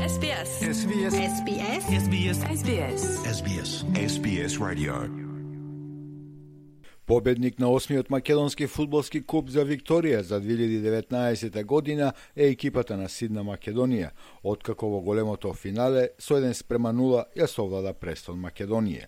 SBS. SBS. SBS. SBS. SBS. SBS. SBS Radio. Победник на 8-миот македонски фудбалски куп за Викторија за 2019 година е екипата на Сидна Македонија, откако во големото финале со 1:0 ја совлада Престон Македонија.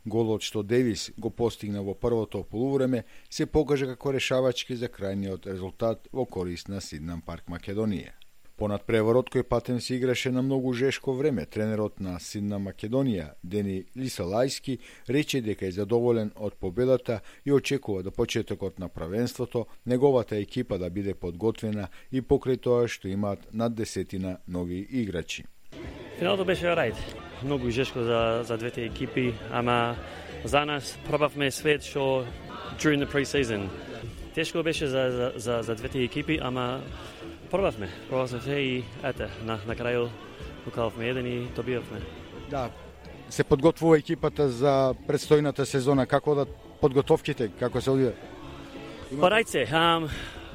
Голот што Девис го постигна во првото полувреме се покажа како решавачки за крајниот резултат во корист на Сиднам Парк Македонија. Понад преворот кој патем се играше на многу жешко време, тренерот на Сидна Македонија, Дени Лисалајски, рече дека е задоволен од победата и очекува до почетокот на правенството неговата екипа да биде подготвена и покрај тоа што имаат над 10 нови играчи. Финалото беше рајд. Многу жешко за двете екипи, ама за нас пробавме свет што during the pre-season. Тешко беше за двете екипи, ама пробавме се и ете, на крају укалавме еден и добиавме. Да, се подготвува екипата за предстојната сезона, како да подготовките, како се одвија? Па рајце,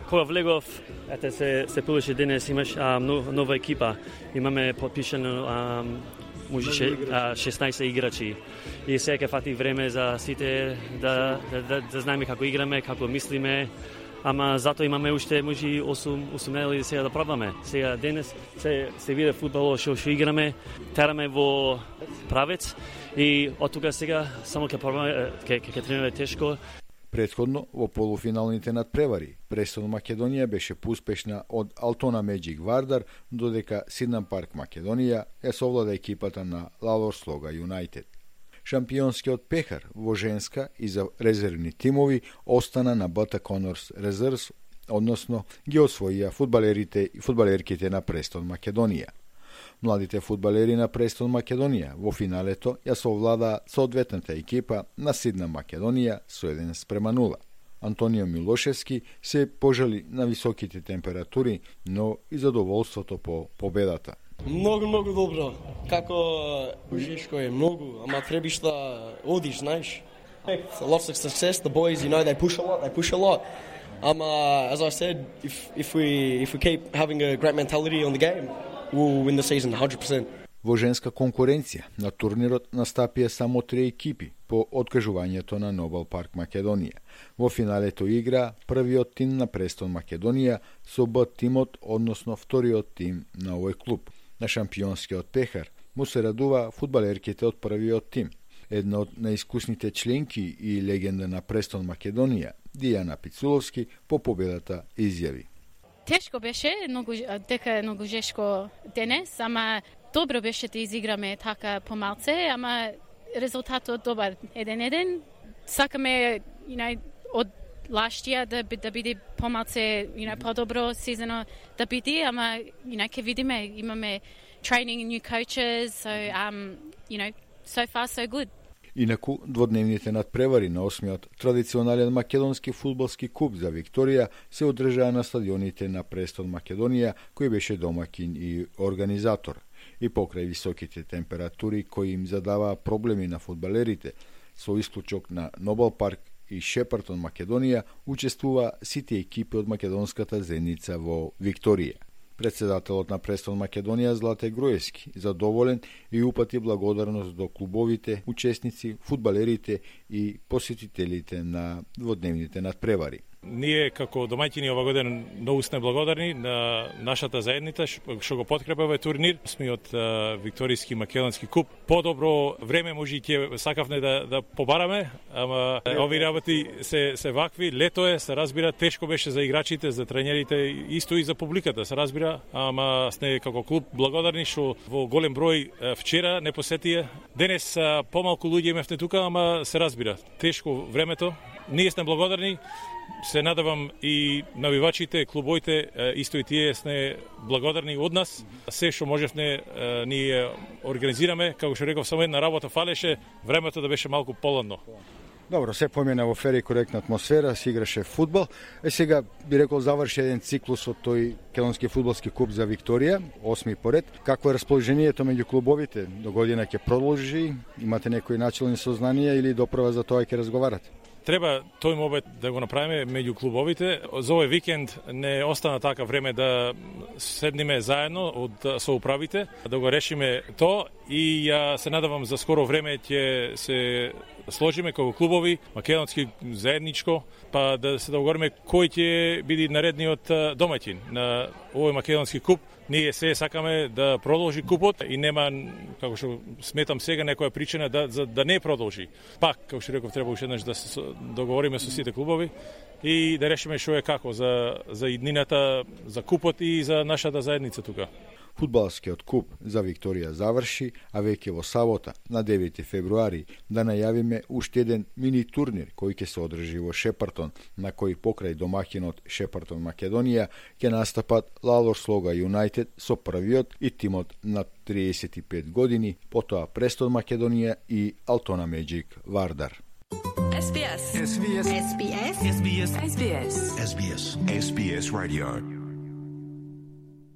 кога влегов, ете се пилеше денес, имаш нова екипа, имаме подпишано можеше 16 играчи и сега фати време за сите да знаеме како играме, како мислиме, ама затоа имаме уште може 8 недели сега да пробаме. Сега денес се виде фудбал што играме, тераме во правец и од тука сега само ќе пробаме, ќе тренираме тешко. Претходно, во полуфиналните надпревари, Престон Македонија беше поуспешна од Алтона Меджик Вардар, додека Сиднам Парк Македонија ја совлада екипата на Лалор Слога Юнајтед. Шампионскиот пехар во женска и за резервни тимови остана на БТ Конорс Резервс, односно ги освоија фудбалерите и фудбалерките на Престон Македонија. Младите фудбалери на Престон Македонија во финалето ја совлада соодветната екипа на Сидна Македонија со 1:0. Антонио Милошевски се пожали на високите температури, но и задоволството по победата. Многу добро. Како жешко е многу, ама требиш да одиш, знаеш. It's a lot of success. The boys, they push a lot. As I said, if we keep having a great mentality on the game, we'll win the season 100%. Во женска конкуренција на турнирот настапија само 3 екипи по откажувањето на Нобел Парк Македонија. Во финалето игра првиот тим на Престон Македонија со Б тимот, односно вториот тим на овој клуб. На шампионскиот пехар му се радува фудбалерките од првиот тим. Една од наискусните членки и легенда на Престон Македонија, Дијана Пицуловски, по победата изјави. Тешко беше, многу жешко денес, ама добро беше да изиграме така помалце, ама резултатот добар 1:1. Сакаме, од лаштија да биде помалце, подобро сезоно да биде, ама ќе видиме, имаме training and new coaches, so so far so good. Инаку, дводневните надпревари на 8-миот традиционален македонски фудбалски куп за Викторија се одржаа на стадионите на Престон Македонија, кој беше домакин и организатор. И покрај високите температури кои им задаваа проблеми на фудбалерите, со исклучок на Нобел Парк и Шепартон Македонија, учествува сите екипи од македонската заедница во Викторија. Председателот на Престон Македонија Злате Груевски задоволен и упати благодарност до клубовите, учесници, фудбалерите и посетителите на дводневните надпревари. Ние како домаќини ова година многу сме благодарни на нашата заедница што го подкрепа овој турнир. Сме од Викторијски македонски куп. Подобро време може и ќе сакавме да побараме, ама ови работи се вакви. Лето е, се разбира, тешко беше за играчите, за тренерите, исто и за публиката, се разбира, ама сме како клуб благодарни што во голем број вчера не посетија. Денес помалку луѓе имавме тука, ама се разбира, тешко времето. Ние сме благодарни. Се надевам и навивачите, клубоите, исто и тие сме благодарни од нас. Се што можевме ние организираме, како што реков, само една работа фалеше, времето да беше малку поладно. Добро, се помина во фер и коректна атмосфера, се играше фудбал. Сега би рекол заврши еден циклус од тој Македонски фудбалски куп за Викторија, 8-ми поред. Какво е расположението меѓу клубовите? До година ќе продолжи? Имате некои начални сознанија или допрва за тоа ќе разговарате? Треба тој мобет да го направиме меѓу клубовите. За овој викенд не остана така време да седниме заедно со управите, да го решиме то и ја се надевам за скоро време ќе се сложиме како клубови, македонски заедничко, па да се договориме кој ќе биде наредниот домаќин на овој македонски куп. Ние се сакаме да продолжи купот и нема, како што сметам сега, некоја причина да не продолжи. Пак, како што реков, треба уште еднаш да се договориме со сите клубови и да решиме што е како за иднината, за купот и за нашата заедница тука. Фудбалскиот куп за Викторија заврши, а веќе во сабота, на 9 февруари, да најавиме уште еден мини турнир кој ќе се одржи во Шепартон, на кој покрај домаќинот Шепартон Македонија ќе настапат Лалор Слога Юнајтед со првиот и тимот на 35 години, потоа Престон Македонија и Алтона Меджик Вардар. SBS. SBS. SBS. SBS. SBS. SBS Radio.